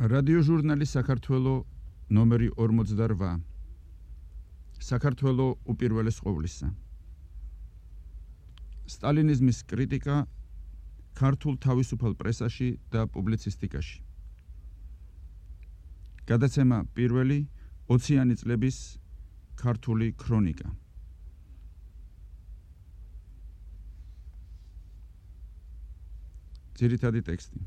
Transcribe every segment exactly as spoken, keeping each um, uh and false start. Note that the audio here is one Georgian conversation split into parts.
რადიოჟურნალი საქართველო ნომერი ორმოცდაოთხ. საქართველო უპირველეს ყოვლისა. სტალინიზმის კრიტიკა ქართულ თავისუფალ პრესაში და პუბლიცისტიკაში. გადაცემა პირველი ოციანი წლების ქართული ქრონიკა. ძირითადი ტექსტი.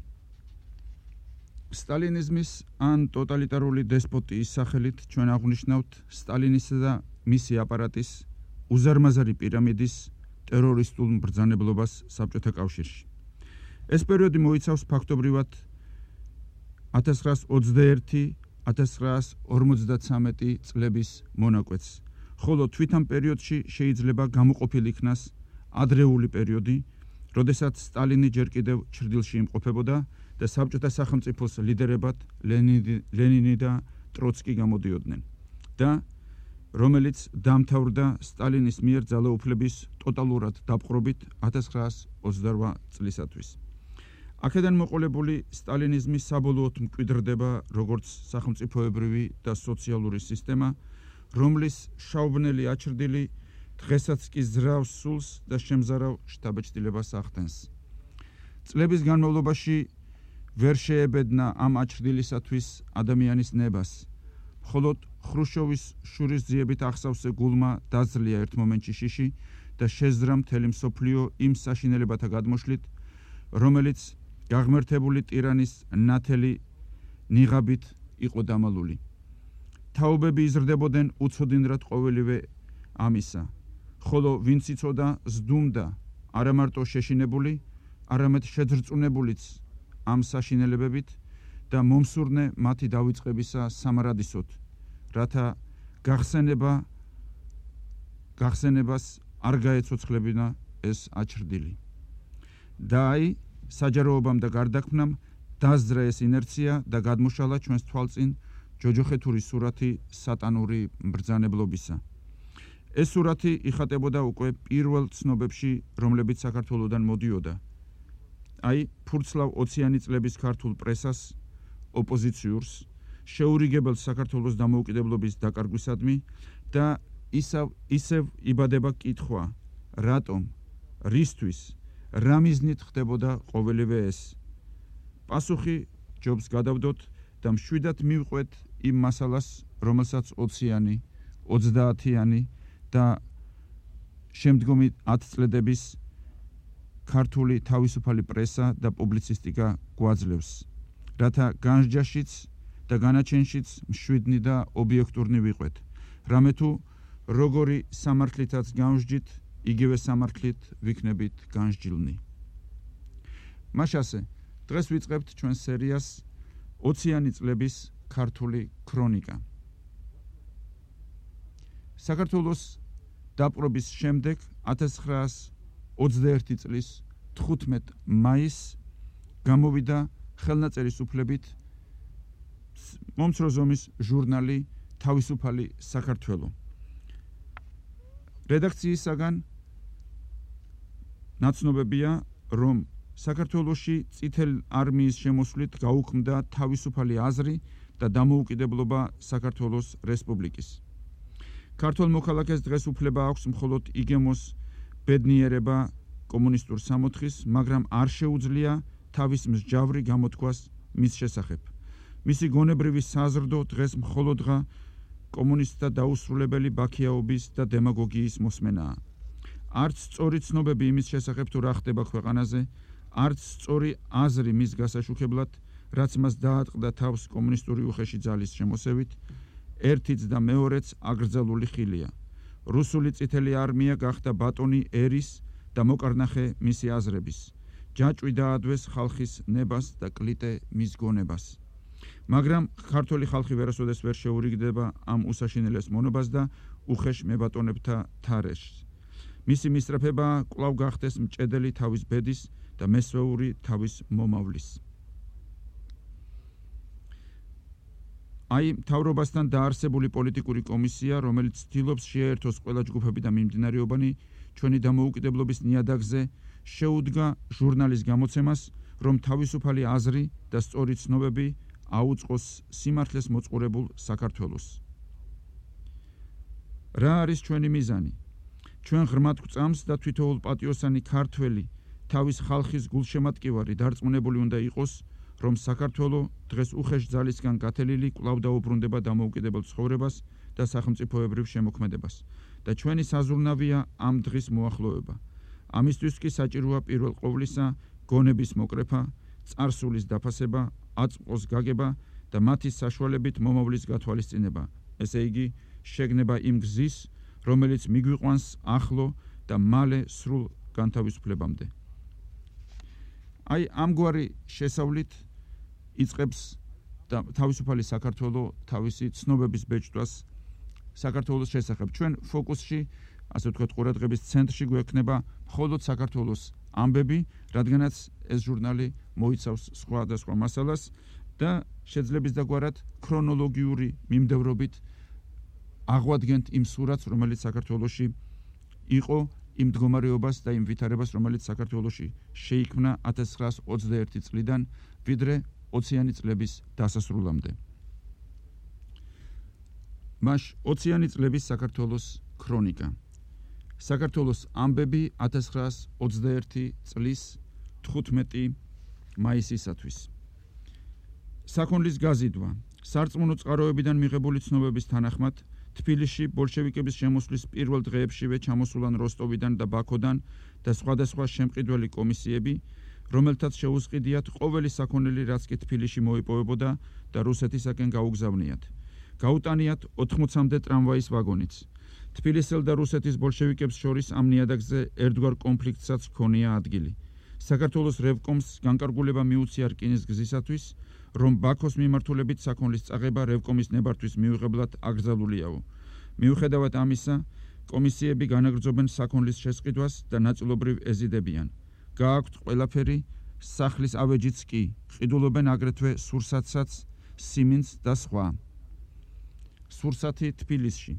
სტალინიზმის ან ტოტალიტარული დესპოტიის სახელით ჩვენ აღვნიშნავთ სტალინისა და მისი აპარატის უზარმაზარი პირამიდის ტერორისტულ მბრძანებლობას საბჭოთა კავშირში. ეს პერიოდი მოიცავს ფაქტობრივად ათას ცხრაას ოცდაერთი ათას ცხრაას ორმოცდათვრამეტი წლების მონაკვეთს, ხოლო თვით ამ პერიოდში შეიძლება გამოყოფილი იქნას ადრეული პერიოდი, როდესაც სტალინი ჯერ კიდევ ჩრდილში იმყოფებოდა და საბჭოთა სახელმწიფოს ლიდერებად ლენინი და ტროცკი გამოდიოდნენ და რომელიც დამთავრდა სტალინის მიერ ძალაუფლების ტოტალურად დაპყრობით ათას ცხრაას ოცდაოთხ წლისათვის. აქედან მოყოლებული სტალინიზმი საბოლოოდ მკვიდრდება როგორც სახელმწიფოებრივი და სოციალური სისტემა, რომლის შაუბნელი აჩრდილი დღესაც კი ზრავს სულს და შემზარავ შთაბეჭდილებას ახდენს. წლების განმავლობაში ვერ შეებედნა ამ აჩრდილისათვის ადამიანის ნებას, მხოლოდ ხრუშჩოვის შურისძიებით ახსავსე გულმა დაძლია ერთ მომენტში შიში და შეძრა მთელი მსოფლიო იმ საშინელებათა გადმოშლით, რომელიც გაღმერთებული ტირანის ნათელი ნიღაბით იყო დამალული. თაობები იზრდებოდნენ უცოდინრად ყოველივე ამისა, ხოლო ვინც იცოდა ზდუმდა არა მარტო შეშინებული, არამედ შეძრწუნებულიც ამ საშინელებებით და მომსურნე მათი დავიწყებისა სამარადისოდ, რათა გახსენება გახსენებას არ გაეცოცხლებინა ეს აჩრდილი. და აი საჯაროობამ და გარდაქმნამ დასძრა ეს ინერცია და გადმოშალა ჩვენს თვალწინ ჯოჯოხეთური სურათი სატანური მბრძანებლობისა. ეს სურათი იხატებოდა უკვე პირველ ცნობებში, რომლებიც საქართველოდან მოდიოდა. აი, ფურცლავ ოციანი წლების ქართულ პრესას, ოპოზიციურს, შეურიგებელ საქართველოს დამოუკიდებლობის დაკარგვისადმი და ისევ ისევ იბადება კითხვა, რატომ, რისთვის, რა მიზნით ხდებოდა ყოველივე ეს. პასუხი ჯობს გადავდოთ და მშვიდად მივყვეთ იმ მასალას, რომელსაც ოციანი, ოცდაათიანი და შემდგომი ათი წლედების ქართული თავისუფალი პრესა და პუბლიცისტიკა გვაძლევს, რათა განსჯაშიც და განაჩენშიც მშვიდნი და ობიექტურნი ვიყვეთ, რამე თუ როგორი სამართლითაც განსჯით, იგივე სამართლით ვიქნებით განსჯილნი. მაშასე, დღეს ვიწყებთ ჩვენ სერიას ოციანი წლების ქართული ქრონიკა. საქართველოს დაპყრობის შემდეგ ათას ცხრაას ოცდაერთი წლის თხუთმეტ მაისს გამოვიდა ხელნაწერის უფლებით მომცრო ზომის ჟურნალი თავისუფალი საქართველო. რედაქციისაგან ნაცნობებია, რომ საქართველოში წითელ არმიის შემოსვლით გაუქმდა თავისუფალი აზრი და დამოუკიდებლობა საქართველოს რესპუბლიკის. ქართველ მოქალაქეს დღეს უფლება აქვს მხოლოდ იგემოს ბედნიერება კომუნისტურ სამოთხის, მაგრამ არ შეუძლია თავის მსჯავრი გამოთქვას მის შესახებ. მისი გონებრივი საზრდო დღეს მხოლოდღა კომუნისტთა დაუსრულებელი ბაქიაობის და დემაგოგიის მოსმენაა. არც სწორი ცნობები იმის შესახებ თუ რა ხდება ქვეყანაზე, არც სწორი აზრი მის გასაშუქებლად, რაც მას დაატყდა თავს კომუნისტური უხეში ძალის შემოსევით, ერთიც და მეორეც აკრძალული ხილია. რუსული წითელი არმია გახდა ბატონი ერის და მოკარნახე მისი აზრების. ჯაჭვი დაადვეს ხალხის ნებას და კლიტე მის გონებას. მაგრამ ქართული ხალხი ვერასოდეს ვერ შეურიგდება ამ უსაშინელეს მონობას და უხეშ მებატონებთა თარეშს. მისი მისწრაფება კვლავ გახდეს მჭედელი თავის ბედის და მესვეული თავის მომავლის. აი, მთავრობასთან დაარსებული პოლიტიკური კომისია, რომელიც ცდილობს შეერთოს ყველა ჯგუფები და მიმდინარეობანი ჩვენი დამოუკიდებლობის ნიადაგზე, შეუდგა ჟურნალის გამოცემას, რომ თავისუფალი აზრი და სწორი ცნობები აუწყოს სიმართლეს მოწყურებულ საქართველოს. რა არის ჩვენი მიზანი? ჩვენ ღრმად გვწამს და თვითოულ პატიოსანი ქართველი თავის ხალხის გულშემატკივარი დარწმუნებული უნდა იყოს, რომ საქართველო დღეს უხეშ ძალისგან გათელილი კვლავ დაუბრუნდება დამოუკიდებელ ცხოვრებას და სახელმწიფოებრივ შემოქმედებას და ჩვენი საზრუნავია ამ დღის მოახლოება. ამისთვის კი საჭიროა პირველ ყოვლისა გონების მოკრეფა, წარსულის დაფასება, აწმყოს გაგება და მათი საშუალებით მომავლის გათვალისწინება, ესე იგი შეგნება იმ გზის, რომელიც მიგვიყვანს ახლო და მალე სრულ განთავისუფლებამდე. აი ამგვარი შესავლით იწყებს და თავისუფალი საქართველო თავისი ცნობების ბეჭდვას საქართველოს შესახებ. ჩვენ ფოკუსში, ასე ვთქვათ, ყურადღების ცენტრში გვექნება მხოლოდ საქართველოს ამბები, რადგანაც ეს ჟურნალი მოიცავს სხვადასხვა მასალას და შეძლებს დაგვარად ქრონოლოგიური მიმდევრობით აღვადგენთ იმ სურათს, რომელიც საქართველოში იყო, იმ მდგომარეობას და იმ ვითარებას, რომელიც საქართველოში შეიქმნა ათას ცხრაას ოცდაერთი წლიდან, ვიდრე ოციანი წლების დასასრულამდე. მაშ ოციანი წლების საქართველოს ქრონიკა. საქართველოს ამბები ათას ცხრაას ოცდაერთი წლის თხუთმეტი მაისისათვის. საქონლის გაზიდვა. სარწმუნო წყაროებიდან მიღებული ცნობების თანახმად, თბილისში ბოლშევიკების შემოსვლის პირველ დღეებშივე ჩამოსულან როსტოვიდან და ბაქოდან და სხვადასხვა შემყიდველი კომისიები, რომელთაც შეუზღიდიათ ყოველი საქონელი, რაც კი თბილისში მოიპოვებოდა და რუსეთისაკენ გაუგზავნიათ. გაუტანიათ ოთხმოცამდე ტრამვაის ვაგონიც. თბილისელ და რუსეთის ბოლშევიკებს შორის ამ ნიადაგზე ერთგვარ კონფლიქტსაც ჰქონია ადგილი. საქართველოს რევკომს განკარგულება მიუწია რკინის გზისათვის, რომ ბაქოს მიმართულებით საქონლის წაღება რევკომის ნებართვის მიუღებლად აკრძალულიაო. მიუხედავად ამისა, კომისიები განაგრძობენ საქონლის შესყიდვას და ნაწილობრივ ეზიდებიან. გააქვთ ყველაფერი, სახლის ავეჯიც კი, ყიდულობენ აგრეთვე სურსათსაც, სიმინდს და სხვა. სურსათი თბილისში.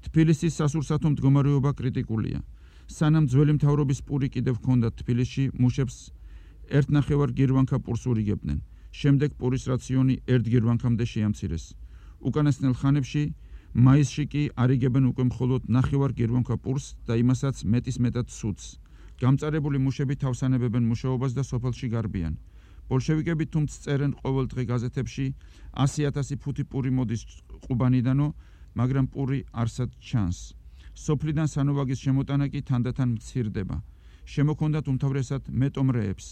თბილისის სასურსათო მდგომარეობა კრიტიკულია. სანამ ძველი მთავრობის პური კიდევ ჰქონდათ თბილისში, მუშებს ერთნახევარ გირვანქა პურს ურიგებდნენ. შემდეგ პურის რაციონი ერთ გირვანქამდე შეამცირეს. უკანასკნელ ხანებში მაისში კი არიგებენ უკვე მხოლოდ ნახევარ გირვანქა პურს და იმასაც მეტის მეტად ცუდს. გამწარებული მუშები თავსანებებენ მუშაობას და სოფელში გარბიან. ბოლშევიკები თუმც წერენ ყოველდღე გაზეთებში ასი ათასი ფუთი პური მოდის ყუბანიდანო, მაგრამ პური არსად ჩანს. სოფლიდან სანოვაგის შემოტანა კი თანდათან მცირდება. შემოქონდათ უმთავრესად მეტომრეებს.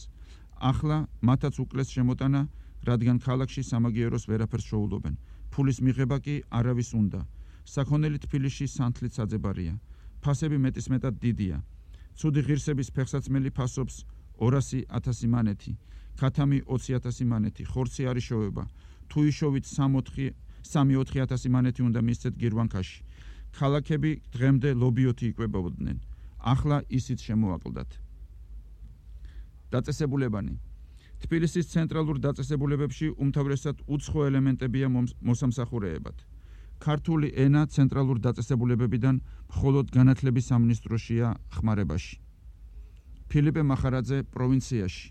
ახლა მათაც უკლეს შემოტანა, რადგან ქალაქში სამაგიეროს ვერაფერს შოულობენ. ფულის მიღება კი არავის უნდა. საქონელი თბილისში სანთლით საძებარია. ფასები მეტისმეტად დიდია. ცუდი ღირსების ფეხსაცმელი ფასობს ორასი ათასი მანეთი, ქათამი ოცი ათასი მანეთი, ხორცი არ იშოვება. თუ იშოვით სამი ოთხი ათასი მანეთი უნდა მისცეთ გირვანქაში. ქალაქები დღემდე ლობიოთი იკვებებოდნენ. ახლა ისიც შემოაკლდათ. დაწესებულებანი. თბილისის ცენტრალურ დაწესებულებებში უმთავრესად უცხო ელემენტებია მოსამსახურეებად. ქართული ენა ცენტრალურ დაწესებულებებიდან მხოლოდ განათლების სამინისტროშია ხმარებაში. ფილიპე მახარაძე პროვინციაში.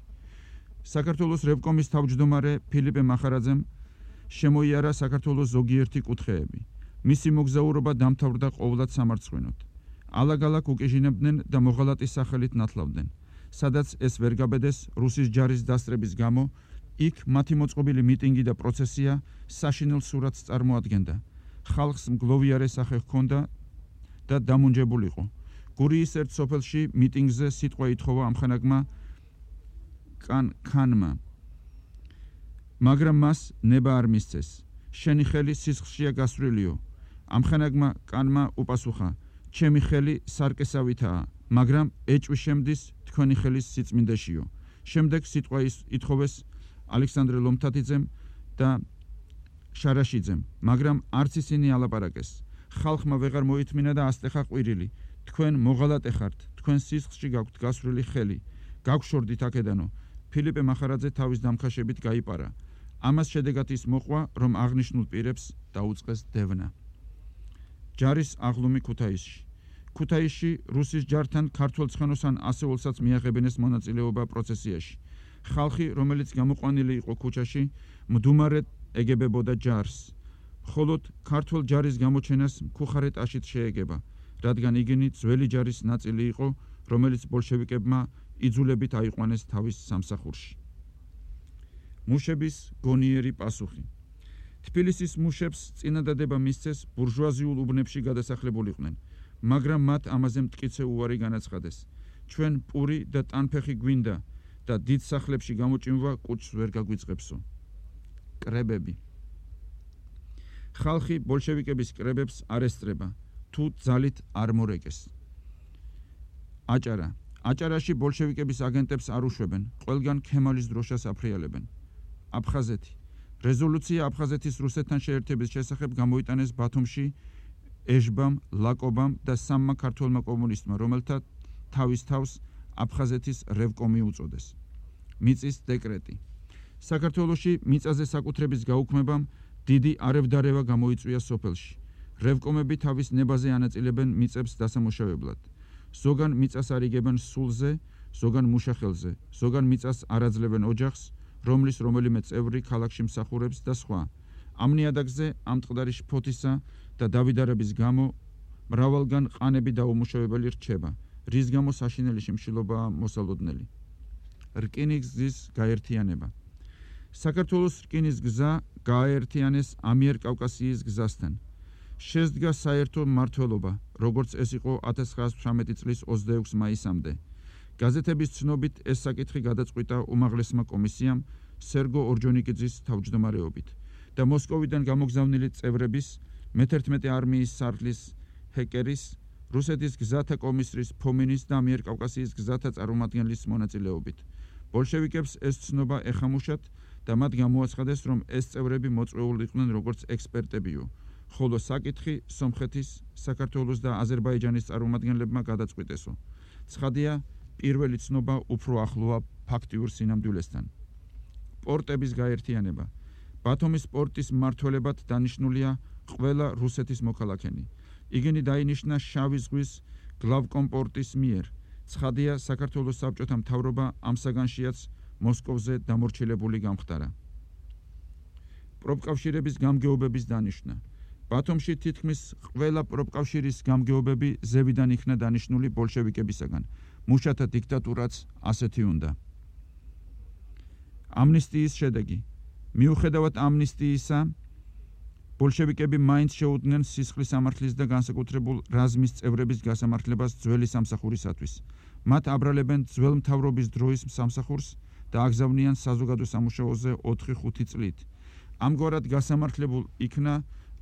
საქართველოს რევკომის თავმჯდომარე ფილიპე მახარაძემ შემოიარა საქართველოს ზოგიერთი კუთხეები. მისი მოგზაურობა დამთავრდა ყოვლად სამარცხვინოდ. ალაგ-ალაგ უკეჟინებდნენ და მოღალატის სახელით ნათლავდნენ. სადაც ეს ვერ გაბედეს რუსის ჯარის დასწრების გამო, იქ მათი მოწყობილი მიტინგი და პროცესია საშინელ სურათს წარმოადგენდა. ხალხს მგლოვიარე სახე ჰქონდა და დამუნჯებულიყო. გურიის ერთ სოფელში მიტინგზე სიტყვა ითხოვა ამხანაგმა კან ქანმა. მაგრამ მას ნება არ მისცეს. შენი ხელი სისხლშია გასვრილიო. ამხანაგმა კანმა უპასუხა: ჩემი ხელი სარკესავითაა, მაგრამ ეჭვი შემდის თქვენი ხელის სიწმინდეშიო. შემდეგ სიტყვა ითხოვეს ალექსანდრე ლომთათიძემ და შარაშიძემ, მაგრამ არც ისინი ალაპარაკეს. ხალხმა ვეღარ მოითმინა და ასტეხა ყვირილი. თქვენ მოღალატე ხართ, თქვენ სისხლში გაქვთ გასვრილი ხელი. გაგშორდით აქედანო. ფილიპე მახარაძე თავის დამხაშებით გაიპარა. ამას შედეგად ის მოყვა, რომ აღნიშნულ პირებს დაუწყეს დევნა. ჯარის აღლუმი ქუთაისში. ქუთაისში რუსის ჯართან ქართველ ცხენოსან ასეულსაც მიაღებინეს მონაწილეობა პროცესიაში. ხალხი, რომელიც გამოყვანილი იყო ქუჩაში, მდუმარედ ეგებებოდა ჯარს. მხოლოდ ქართულ ჯარის გამოჩენას მქუხარეტაშით შეეგება, რადგან იგინი ძველი ჯარის ნაწილი იყო, რომელიც ბოლშევიკებმა იძულებით აიყვანეს თავის სამსახურში. მუშების გონიერი პასუხი. თბილისის მუშებს წინადადება მისცეს ბურჟუაზიულ უბნებში გადასახლებულიყვნენ, მაგრამ მათ ამაზე მტკიცე უარი განაცხადეს. ჩვენ პური და ტანფეხი გვინდა და დიდ სახლებში გამოჭიმვა კუჭს ვერ გაგვიწყებსო. კრებები. ხალხი ბოლშევიკების კრებებს არ ესწრება, თუ ძალით არ მორეკეს. აჭარა. აჭარაში ბოლშევიკების აგენტებს არ უშვებენ, ყველგან ქემალის დროშას აფრიალებენ. აფხაზეთი. რეზოლუცია აფხაზეთის რუსეთთან შეერთების შესახებ გამოიტანეს ბათუმში ეჟბამ, ლაკობამ და სამმა ქართველმა კომუნისტმა, რომელთა თავის თავს აფხაზეთის რევკომი უწოდეს. მიწის დეკრეტი. საქართველოში მიწაზე საკუთრების გაუქმებამ დიდი არევდარევა გამოიწვია სოფელში. რევკომები თავის ნებაზე ანაწილებენ მიწებს დასამუშავებლად. ზოგან მიწას არიგებენ სულზე, ზოგან მუშახელზე, ზოგან მიწას არაძლებენ ოჯახს, რომლის რომელიმე წევრი ქალაქში მსახურებს და სხვა. ამ ნიადაგზე ამ ტყდარი შფოთისა და დავიდარების გამო მრავალგან ყანები დაუმუშავებელი რჩება, რის გამო საშინელი შიმშილობაა მოსალოდნელი. რკინიგზის გაერთიანება. საქართველოს რკინის გზა გააერთიანეს ამიერკავკასიის გზასთან. შესდგა საერთო მმართველობა, როგორც ეს იყო ათას ცხრაასი ცხრამეტი წლის ოცდაექვსი მაისამდე. გაზეთების ცნობით ეს საკითხი გადაწყვიტა უმაღლესმა კომისიამ სერგო ორჯონიკიძის თავმჯდომარეობით და მოსკოვიდან გამოგზავნილი წევრების მეთერთმეტე არმიის სარდლის ჰეკერის, რუსეთის გზათა კომისრის ფომინის და ამიერკავკასიის გზათა წარმომადგენლის მონაწილეობით. ბოლშევიკებს ეს ცნობა ეხამუშათ და მათ გამოაცხადეს, რომ ეს წევრები მოწვეულοι იყვნენ როგორც ექსპერტებიო, ხოლო საკითხი სომხეთის, საქართველოს და აზერბაიჯანის წარმომადგენლებმა გადაწყვიტესო. ცხადია, პირველი ცნობა უფრო ახლოა ფაქტიურ სინამდვილესთან. პორტების გაერთიანება. ბათუმის პორტის მმართველებად დანიშნულია ყველა რუსეთის მოქალაქენი. იგინი დაინიშნა შავი ზღვის გლავკომ პორტის მიერ. ცხადია, საქართველოს საბჭოთა მთავრობა ამ საგანშიაც მოსკოვზე დამორჩილებული გამხდარა. პროფკავშირების გამგეობების დანიშვნა. ბათუმში თითქმის ყველა პროფკავშირის გამგეობები ზევიდან იქნა დანიშნული ბოლშევიკებისაგან. მუშათა დიქტატურაც ასეთი უნდა. ამნისტიის შედეგი. მიუხედავად ამნისტიისა, ბოლშევიკები მაინც შეუდგნენ სისხლის სამართლის და განსაკუთრებულ რაზმის წევრების გასამართლებას ძველი სამსახურისათვის. მათ აბრალებენ ძველ მთავრობის დროის სამსახურს და აგზავნიან საზოგადო სამუშაოზე ოთხი ხუთი წლით. ამგვარად გასამართლებულ იქნა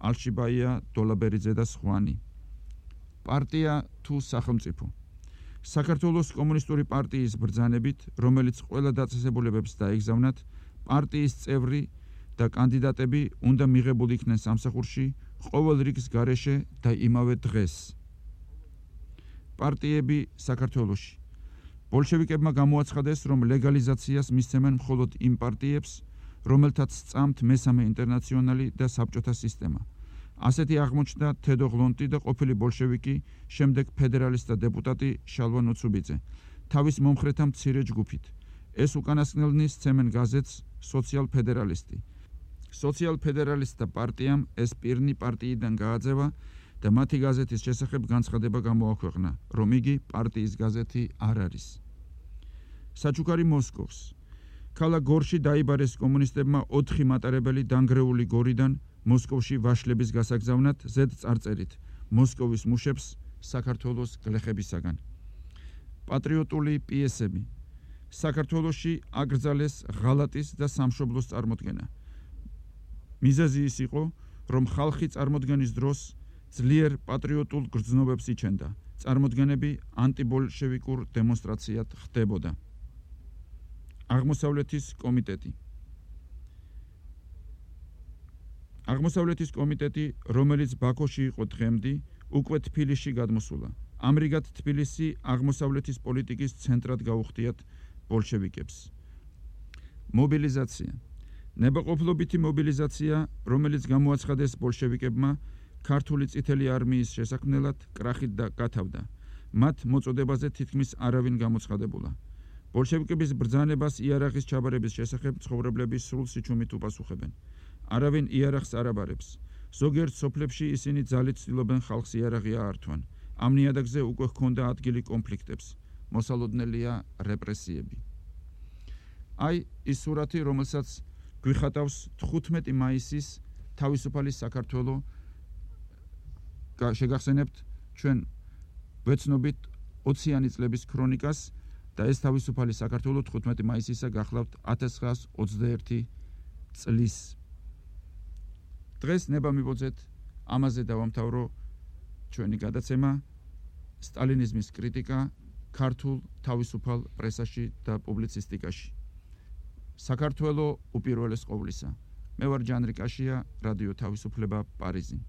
ალშიბაია, დოლაბერიძე და სხვანი. პარტია თუ სახელმწიფო. საქართველოს კომუნისტური პარტიის ბრძანებით, რომელიც ყველა დაწესებულებებს დაეგზავნათ, პარტიის წევრი და კანდიდატები უნდა მიღებულ იქნენ სამსახურში ყოველ რიგის გარეშე და იმავე დღეს. პარტიები საქართველოში. ბოლშევიკებმა გამოაცხადეს, რომ ლეგალიზაციას მისცემენ მხოლოდ იმ პარტიებს, რომელთაც სწამთ მესამე ინტერნაციონალი და საბჭოთა სისტემა. ასეთი აღმოჩნდა თედო ღლონტი და ყოფილი ბოლშევიკი, შემდეგ ფედერალისტთა დეპუტატი შალვა ნუცუბიძე, თავის მომხრეთა მცირე ჯგუფით. ეს უკანასკნელნი სცემენ გაზეთს სოციალ-ფედერალისტი. სოციალ-ფედერალისტთა პარტიამ ეს პირნი პარტიიდან გააძევა და მათი გაზეთის შესახებ განცხადება გამოაქვეყნა, რომ იგი პარტიის გაზეთი არ არის. საჩუქარი მოსკოვს. ქალაქ გორში დაიბარეს კომუნისტებმა ოთხი მატარებელი დანგრეული გორიდან მოსკოვში ვაშლების გასაგზავნად ზედ წარწერით მოსკოვის მუშებს საქართველოს გლეხებისაგან. პატრიოტული პიესები. საქართველოში აკრძალეს ღალატის და სამშობლოს წარმოდგენა. მიზეზი ის იყო, რომ ხალხი წარმოდგენის დროს ძლიერ პატრიოტულ გრძნობებს იჩენდა. წარმოდგენები ანტიბოლშევიკურ დემონსტრაციად ხდებოდა. აღმოსავლეთის კომიტეტი. აღმოსავლეთის კომიტეტი, რომელიც ბაქოში იყო დღემდე, უკვე თბილისში გადმოსულა. ამრიგად თბილისი აღმოსავლეთის პოლიტიკის ცენტრად გაუხდიათ ბოლშევიკებს. მობილიზაცია. ნებაყოფლობითი მობილიზაცია, რომელიც გამოაცხადეს ბოლშევიკებმა, ქართული წითელი არმიის შესაქმნელად კრახით და გათავდა. მათ მოწოდებაზე თითქმის არავინ გამოცხადებულა. ბოლშევიკების ბრძანებას იარაღის ჩაბარების შესახებ ცხოვრებლები სრულ სიჩუმით უპასუხებენ. არავინ იარაღს არ აბარებს. ზოგიერთ სოფლებში ისინი ძალით ცდილობენ ხალხს იარაღი აართვან. ამ ნიადაგზე უკვე ჰქონდა ადგილი კონფლიქტებს. მოსალოდნელია რეპრესიები. აი ის სურათი, რომელსაც გვიხატავს თხუთმეტი მაისის თავისუფალი საქართველო. შეგახსენებთ ჩვენ ვეცნობით ოციანი წლების ქრონიკას და ეს თავისუფალი საქართველო თხუთმეტი მაისისა გახლავთ ათას ცხრაას ოცდაერთი წლის. დღეს ნება მივოძეთ ამაზე დავამთავრო ჩვენი გადაცემა სტალინიზმის კრიტიკა ქართულ თავისუფალ პრესაში და პუბლიცისტიკაში. საქართველო უპირველეს ყოვლისა. მე ვარ ჯანრი კაშია, რადიო თავისუფლება, პარიზი.